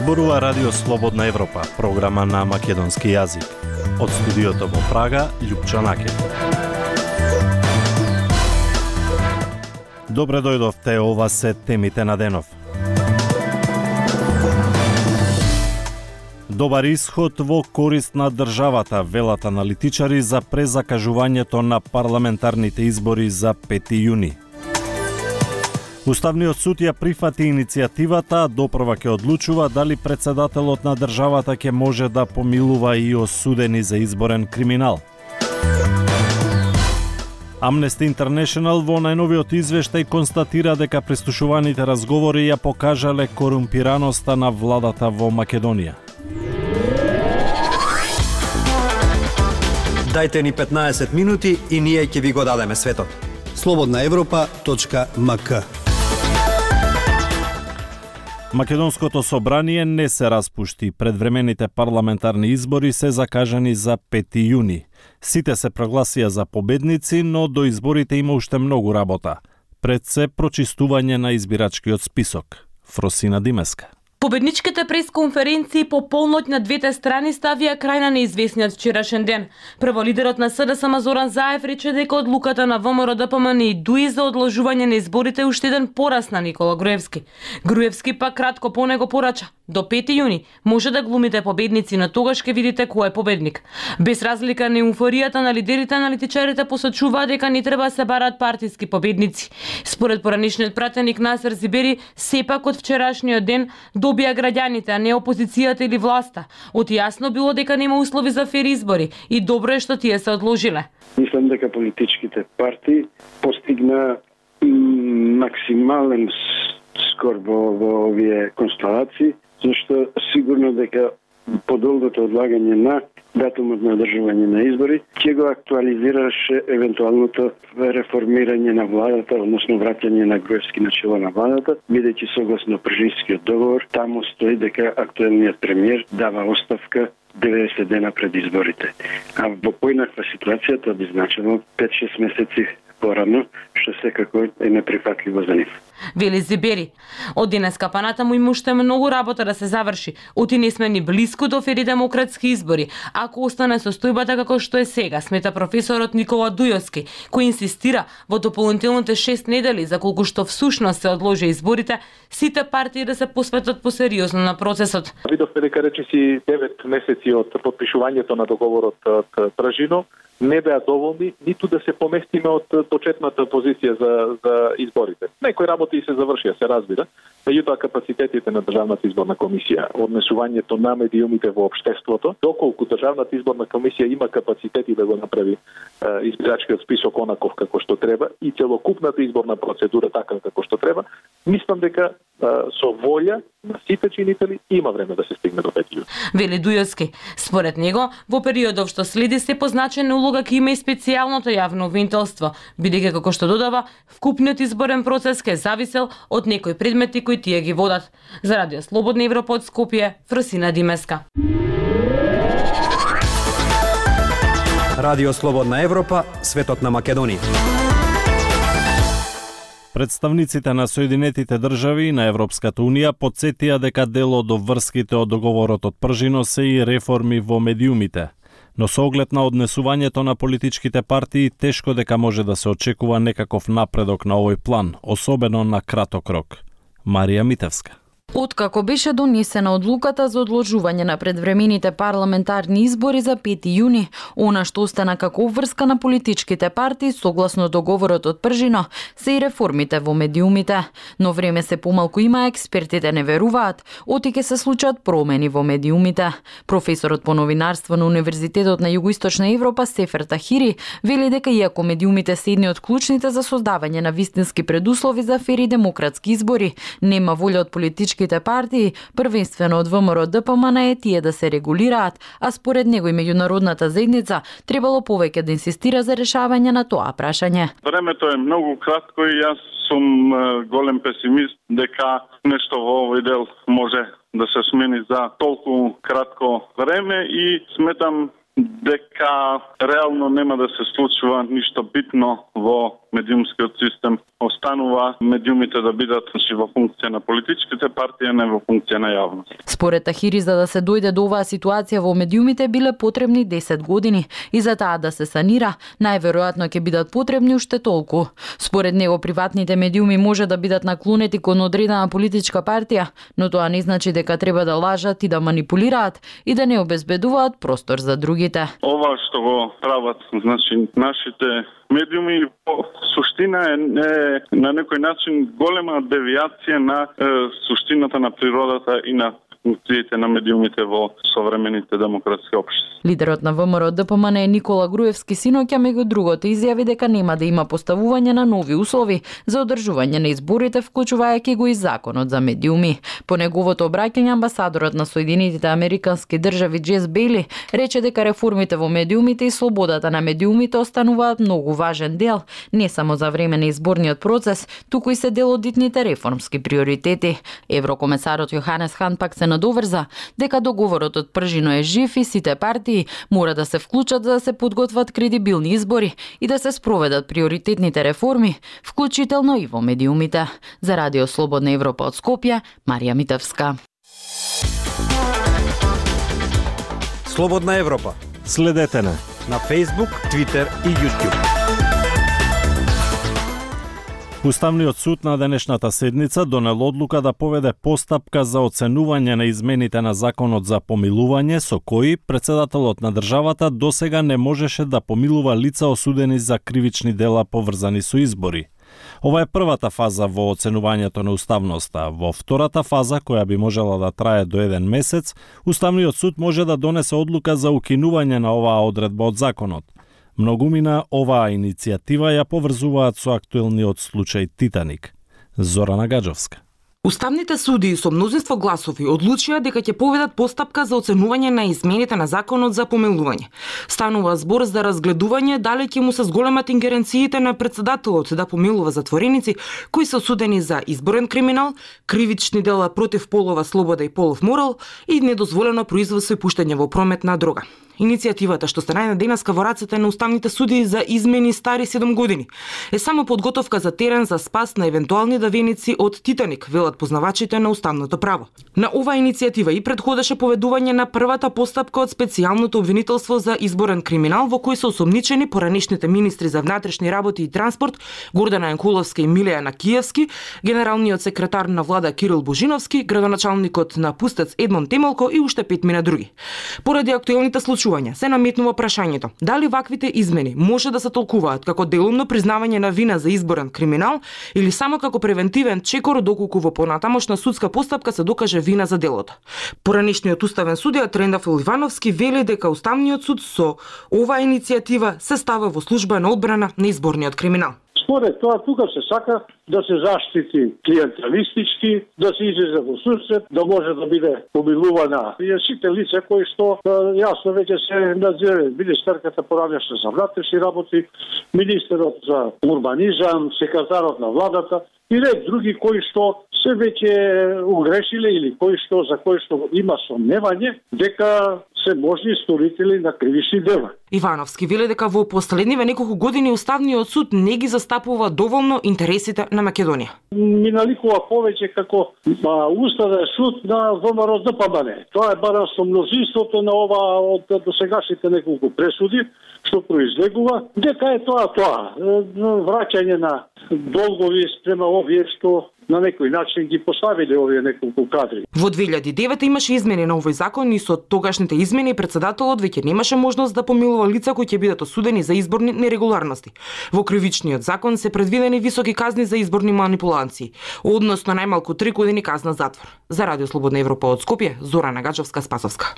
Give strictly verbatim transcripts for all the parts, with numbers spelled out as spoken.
Зборува Радио Слободна Европа, програма на македонски јазик. Од студиото во Прага, Љупчо Накев. Добре дојдовте, ова се темите на денов. Добар исход во корист на државата, велат аналитичари за презакажувањето на парламентарните избори за пети јуни. Уставниот суд ја прифати иницијативата, а допрва ќе одлучува дали председателот на државата ќе може да помилува и осудени за изборен криминал. Amnesty International во најновиот извештај констатира дека прислушуваните разговори ја покажале корумпираноста на владата во Македонија. Дајте ни петнаесет минути и ние ќе ви го дадеме светот. слободна европа точка ем ка. Македонското собрание не се распушти. Предвремените парламентарни избори се закажани за пети јуни. Сите се прогласија за победници, но до изборите има уште многу работа. Пред се прочистување на избирачкиот список. Фросина Димеска. Победничките пресконференции по полноќ на двете страни ставија крај на неизвестниот вчерашен ден. Прво лидерот на СДСМ Зоран Заев рече дека одлуката на ВМРО-ДПМН и ДУИ за одложување на изборите уште еден порас на Никола Груевски. Груевски пак кратко по него порача: до пети јуни може да глумите победници, но тогаш ќе видите кој е победник. Без разлика на еуфоријата на лидерите, аналитичарите посочуваат дека не треба да се бараат партиски победници. Според поранишниот пратеник Насер Зибери, сепак од вчерашниот ден добија граѓаните, а не опозицијата или власта. Од јасно било дека нема услови за фер избори и добро е што тие се одложиле. Мислам дека политичките партии постигна максимален скор во, во овие констелации, зашто сигурно дека подолгото одлагање на датумот на одржување на избори ќе го актуализираше евентуалното реформирање на владата, односно враќање на Груевски на чело на владата, бидејќи согласно Пржинскиот договор таму стои дека актуелниот премиер дава оставка деветдесет дена пред изборите. А во поинаква ситуација тоа би значило пет-шест месеци порано, што секако е неприфатливо за нив. Вели Зибери. Од денеска па натаму има уште многу работа да се заврши. Оти не сме ни блиску до фери демократски избори, ако остане состојбата како што е сега, смета професорот Никола Дујовски, кој инсистира во дополнителните шест недели за колку што всушност се одложи изборите, сите партии да се посветат посериозно на процесот. Видовме дека речиси девет месеци од подпишувањето на договорот од Пражино не беа доволни ниту да се поместиме од почетната позиција за за изборите. Некои работи се завршија, се разбира, меѓутоа капацитетите на Државната изборна комисија, однесувањето на медиумите во општеството, доколку Државната изборна комисија има капацитети да го направи е, избирачкиот список онаков како што треба и целокупната изборна процедура така како што треба, мислам дека е, со волја на сите чинители има време да се стигне до пети јуни. Вели Дујовски. Според него, во периодов што следи се позначена улога ќе има и специјалното јавно обвинителство, бидејќи како што додава, вкупниот изборен процес ќе зависел од некои предмети кои тие ги водат. За Радио Слободна Европа од Скопје, Фросина Димеска. Радио Слободна Европа, светот на Македонија. Представниците на Соединетите држави и на Европската унија потсетија дека дел од врските од договорот од Пржино се и реформи во медиумите. Но со оглед на однесувањето на политичките партии, тешко дека може да се очекува некаков напредок на овој план, особено на краток рок. Марија Митевска. Откако беше донесена одлуката за одложување на предвремените парламентарни избори за пети јуни, она што остана како обврска на политичките партии согласно договорот од Пржино се и реформите во медиумите. Но време се помалку има, експертите не веруваат, оти ќе се случат промени во медиумите. Професорот по новинарство на Универзитетот на Југоисточна Европа Сефер Тахири вели дека иако медиумите се едни од клучните за создавање на вистински предуслови за фери демократски избори, нема волја од политички партии, првенствено од ВМРО-ДПМН е тие да се регулираат, а според него и меѓународната заедница требало повеќе да инсистира за решавање на тоа прашање. Времето е многу кратко и јас сум голем песимист дека нешто во овој дел може да се смени за толку кратко време и сметам дека реално нема да се случува ништо битно во медиумскиот систем. Останува медиумите да бидат во функција на политичките партии, не во функција на јавност. Според Тахири, за да се дојде до оваа ситуација во медиумите биле потребни десет години и за таа да се санира, најверојатно ќе бидат потребни уште толку. Според него, приватните медиуми може да бидат наклонети кон одредена политичка партија, но тоа не значи дека треба да лажат и да манипулираат и да не обезбедуваат простор за другите. Ова што го прават, значи, нашите медиуми по суштина е, е на некој начин голема девијација на е, суштината на природата и на функциите на медиумите во современите демократски општества. Лидерот на ВМРО Д П М Н Никола Груевски синоќа меѓу другото изјави дека нема да има поставување на нови услови за одржување на изборите, вклучувајќи го и законот за медиуми. По неговото обраќање, амбасадорот на Соединетите Американски држави Джес Бейли рече дека реформите во медиумите и слободата на медиумите остануваат многу важен дел, не само за време на изборниот процес, туку и се дел од итните реформски приоритети. Еврокомесарот Јоханес Хан пак се надоврза дека договорот од Пржино е жив и сите партии мора да се вклучат за да се подготват кредибилни избори и да се спроведат приоритетните реформи, вклучително и во медиумите. За Радио Слободна Европа од Скопје, Марија Митевска. Слободна Европа. Следете на на Facebook, Twitter и YouTube. Уставниот суд на денешната седница донел одлука да поведе постапка за оценување на измените на законот за помилување, со кои председателот на државата досега не можеше да помилува лица осудени за кривични дела поврзани со избори. Ова е првата фаза во оценувањето на уставноста. Во втората фаза, која би можела да трае до еден месец, Уставниот суд може да донесе одлука за укинување на оваа одредба од законот. Многумина оваа иницијатива ја поврзуваат со актуелниот случај Титаник. Зорана Гаджовска. Уставните судии со мнозинство гласови одлучија дека ќе поведат постапка за оценување на измените на законот за помилување. Станува збор за разгледување дали ќе му се зголемат ингеренциите на председателот да помилува затвореници кои се осудени за изборен криминал, кривични дела против полова слобода и полов морал и недозволено производство и пуштање во промет на дрога. Иницијативата што се најде денеска во рацете на уставните судии за измени стари седум години е само подготовка за терен за спас на евентуални давеници од Титаник, велат познавачите на уставното право. На оваа иницијатива и предходеше поведување на првата постапка од специјалното обвинителство за изборен криминал во кој се осомничени поранешните министри за внатрешни работи и транспорт Гордана Јанкуловска и Милија Накиевски, генералниот секретар на влада Кирил Божиновски, градоначалникот на Пустец Едмон Темелко и уште петмина други. Поради актуелните случаи се наметнува прашањето дали ваквите измени може да се толкуваат како делумно признавање на вина за изборен криминал или само како превентивен чекор доколку во понатамошна судска постапка се докаже вина за делото. Поранешниот уставен судија Трендафил Ивановски вели дека Уставниот суд со оваа иницијатива се става во служба на одбрана на изборниот криминал. Според тоа, тука се сака да се заштити клиенталистички, да се излезе во susret, да може да биде помилувана и сите лица кои што јасно веќе се надзирани, министерката поранешна за внатрешни работи, министерот за урбанизам, секретарот на владата и ред други кои што се веќе угрешиле или кои што за кои што има сомневање дека се можни сторители на кривични дела. Ивановски вели дека во последниве неколку години Уставниот суд не ги застапува доволно интересите на Македонија. Миналикува повеќе како а, Уставен суд на ВМРО Д П М Н. Тоа е барем со мнозинството на ова од досегашните неколку пресуди што произлегува дека е тоа тоа враќање на долгови спрема овие што на некој начин ги поставиле овие неколку кадри. Во две илјади и девета имаше измени на овој закон и со тогашните измени председателот веќе немаше можност да помилува лица кои ќе бидат осудени за изборни нерегуларности. Во кривичниот закон се предвидени високи казни за изборни манипулации, односно најмалку три години казна затвор. За Радио Слободна Европа од Скопје, Зорана Гаджовска Спасовска.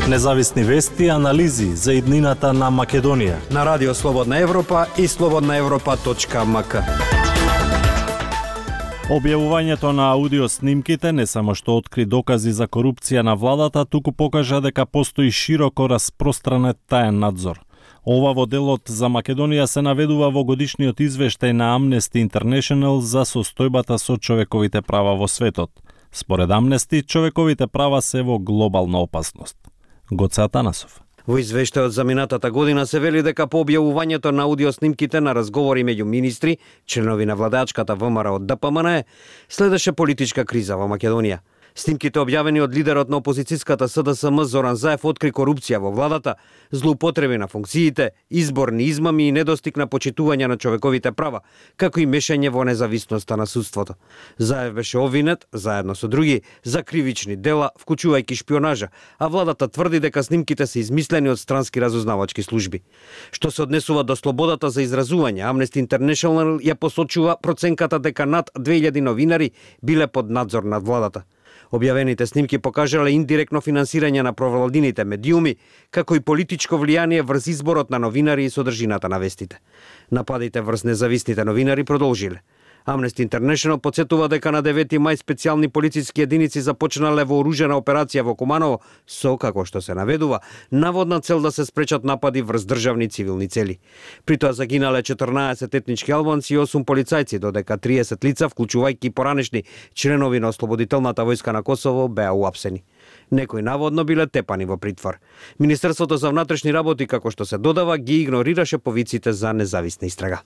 Независни вести и анализи за иднината на Македонија на Радио Слободна Европа и слободна европа точка м к. Објавувањето на аудиоснимките не само што откри докази за корупција на владата, туку покажа дека постои широко распространет таен надзор. Ова во делот за Македонија се наведува во годишниот извештај на Amnesty International за состојбата со човековите права во светот. Според Амнести, човековите права се во глобална опасност. Гоце Атанасов. Во извештајот за минатата година се вели дека по објавувањето на аудиоснимките на разговори меѓу министри, членови на владачката ВМРО од Д П М Н, следеше политичка криза во Македонија. Снимките објавени од лидерот на опозицијската С Д С М Зоран Заев откри корупција во владата, злоупотреби на функциите, изборни измами и недостиг на почитување на човековите права, како и мешање во независноста на судството. Заев беше обвинет, заедно со други, за кривични дела, вклучувајќи шпионажа, а владата тврди дека снимките се измислени од странски разузнавачки служби. Што се однесува до слободата за изразување, Amnesty International ја посочува проценката дека над две илјади новинари биле под надзор над владата. Објавените снимки покажале индиректно финансирање на провладините медиуми, како и политичко влијание врз изборот на новинари и содржината на вестите. Нападите врз независните новинари продолжиле. Amnesty International подсетува дека на девети мај специјални полициски единици започнале вооружена операција во Куманово со, како што се наведува, наводна цел да се спречат напади врз државни цивилни цели. При тоа загинале четрнаесет етнички албанци и осум полицајци, додека триесет лица, вклучувајќи поранешни членови на Ослободителната војска на Косово, беа уапсени. Некои наводно биле тепани во притвор. Министерството за внатрешни работи, како што се додава, ги игнорираше повиците за независна истрага.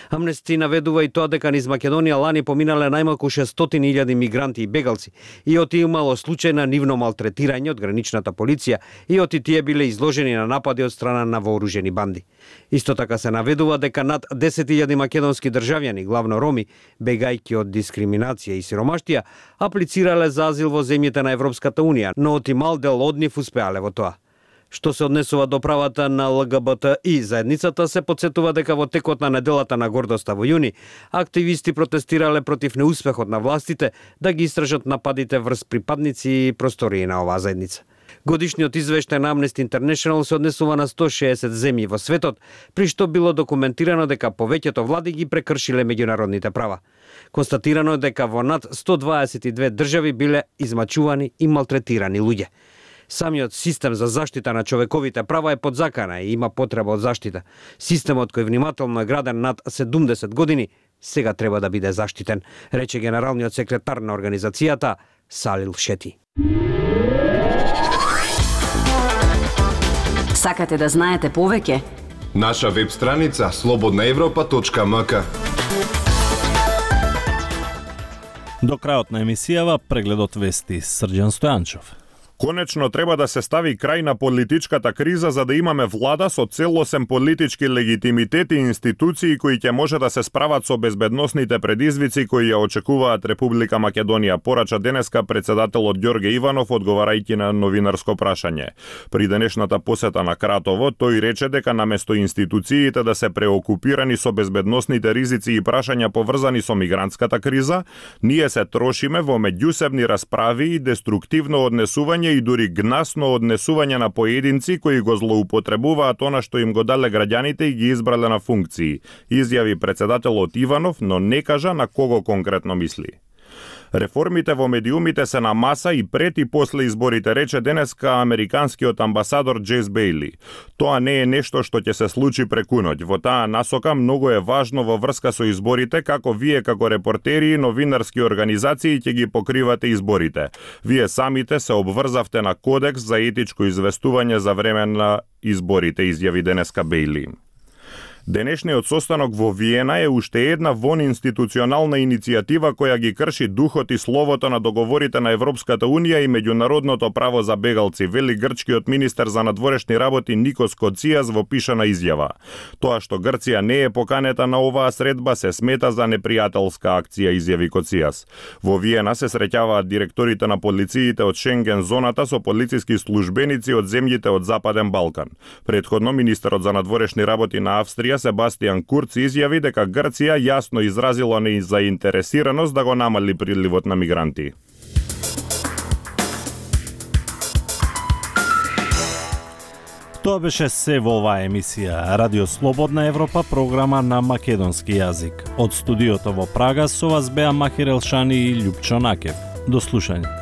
Амнести наведува и тоа дека низ Македонија лани поминале најмалку шестстотини илјади мигранти и бегалци и оти имало случај на нивно малтретирање од граничната полиција и оти тие биле изложени на напади од страна на вооружени банди. Исто така се наведува дека над десет илјади македонски државјани, главно роми, бегајќи од дискриминација и сиромаштија, аплицирале за азил во земјите на Европската унија, но оти мал дел од нив успеале во тоа. Што се однесува до правата на Л Г Б Т И заедницата, се подсетува дека во текот на неделата на гордоста во јуни, активисти протестирале против неуспехот на властите да ги истражат нападите врз припадници и простории на оваа заедница. Годишниот извештај на Amnesty International се однесува на сто шеесет земји во светот, при што било документирано дека повеќето влади ги прекршиле меѓународните права. Констатирано е дека во над сто дваесет и две држави биле измачувани и малтретирани луѓе. Самиот систем за заштита на човековите права е подзакана и има потреба од заштита. Системот кој внимателно е граден над седумдесет години сега треба да биде заштитен, рече генералниот секретар на организацијата Салил Шети. Сакате да знаете повеќе? Наша веб страница слободна европа точка м к. До крајот на емисијава прегледот вести Срđan Стојанчов. Конечно треба да се стави крај на политичката криза за да имаме влада со целосен политички легитимитет и институции кои ќе може да се справат со безбедносните предизвици кои ја очекуваат Република Македонија, порача денеска председателот Ѓорге Иванов одговарајќи на новинарско прашање. При денешната посета на Кратово, тој рече дека наместо институциите да се преокупирани со безбедносните ризици и прашања поврзани со мигрантската криза, ние се трошиме во меѓусебни расправи и деструктивно однесување и дури гнасно однесување на поединци кои го злоупотребуваат она што им го дале граѓаните и ги избрале на функции, изјави председателот Иванов, но не кажа на кого конкретно мисли. Реформите во медиумите се на маса и пред и после изборите, рече денеска американскиот амбасадор Джейс Бејли. Тоа не е нешто што ќе се случи преку ноќ. Во таа насока многу е важно во врска со изборите како вие како репортери и новинарски организации ќе ги покривате изборите. Вие самите се обврзавте на кодекс за етичко известување за време на изборите, изјави денеска Бејли. Денешниот состанок во Виена е уште една вонинституционална иницијатива која ги крши духот и словото на договорите на Европската Унија и меѓународното право за бегалци, вели грчкиот министер за надворешни работи Никос Коцијас во пишана изјава. Тоа што Грција не е поканета на оваа средба се смета за непријателска акција, изјави Коцијас. Во Виена се среќаваат директорите на полициите од Шенген зоната со полициски службеници од земјите од Западен Балкан. Претходно министерот за надворешни работи на Австрија Себастијан Курц изјави дека Грција јасно изразила незаинтересираност да го намали приливот на мигранти. Тоа беше се во оваа емисија Радио Слободна Европа, програма на македонски јазик. Од студиото во Прага со вас беа Махир Елшани и Љупчо Накев. До слушање.